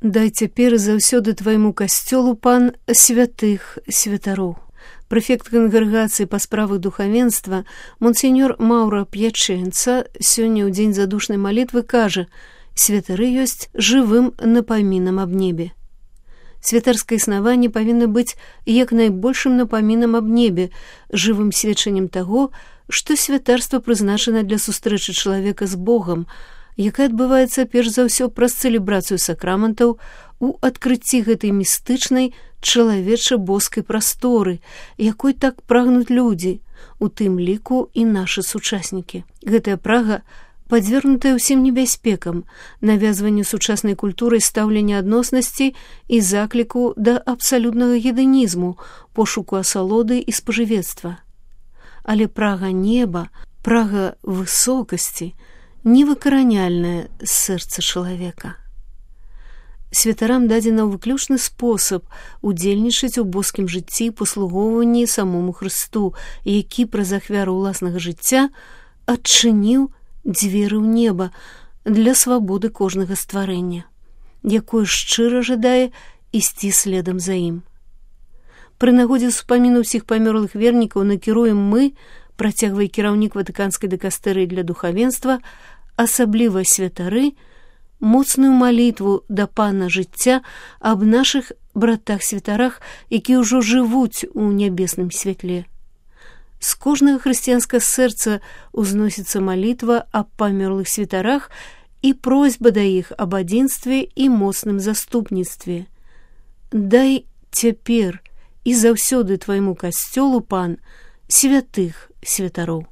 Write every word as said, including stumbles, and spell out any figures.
Дай цяпер і заўсёды твайму касцёлу, пан, святых святароў. Прэфект кангрэгацыі па справах духавенства монсеньор Маўра П'ячэнца сёння ў дзень задушнай малітвы кажа: святары ёсць жывым напамінам аб небе. Святарскае існаванне павінна быць як найбольшым напамінам аб небе, жывым сведчаннем таго, што святарства прызначана для сустрэчы чалавека з Богам, якая адбываецца перш за ўсё праз цэлебрацыю сакраментаў у адкрыцці гэтай містычнай чалавеча-боскай прасторы, якой так прагнуць людзі, у тым ліку і нашы сучаснікі. Гэтая прага падвергнутая ўсім небяспекам, навязванню сучаснай культуры стаўлення адноснасці і закліку да абсалютнага гедэнізму, пошуку асалоды і спажывецтва. Але прага неба, прага высокасці невыкараняльная з сэрца чалавека. Святарам дадзена выключны спосаб удзельнічаць у боскім жыцці і паслугоўванні самому Хрысту, які праз ахвяру ўласнага жыцця адчыніў дзверы ў неба для свабоды кожнага стварэння, якое шчыра жадае ісці следам за ім. Пры нагодзе ўспаміну ўсіх памёрлых вернікаў накіруем мы, працягвае кіраўнік ватыканскай дыкастэрыі для духавенства, асабліва святары, моцную малітву да пана жыцця аб нашых братах-святарах, якія ўжо жывуць у нябесным святле. З кожнага хрысціянскага сэрца узносіцца малітва аб памёрлых святарах і просьба да іх аб адзінстве і моцным заступніцтве. Дай цяпер і заўсёды твайму касцёлу, пан, святых святароў.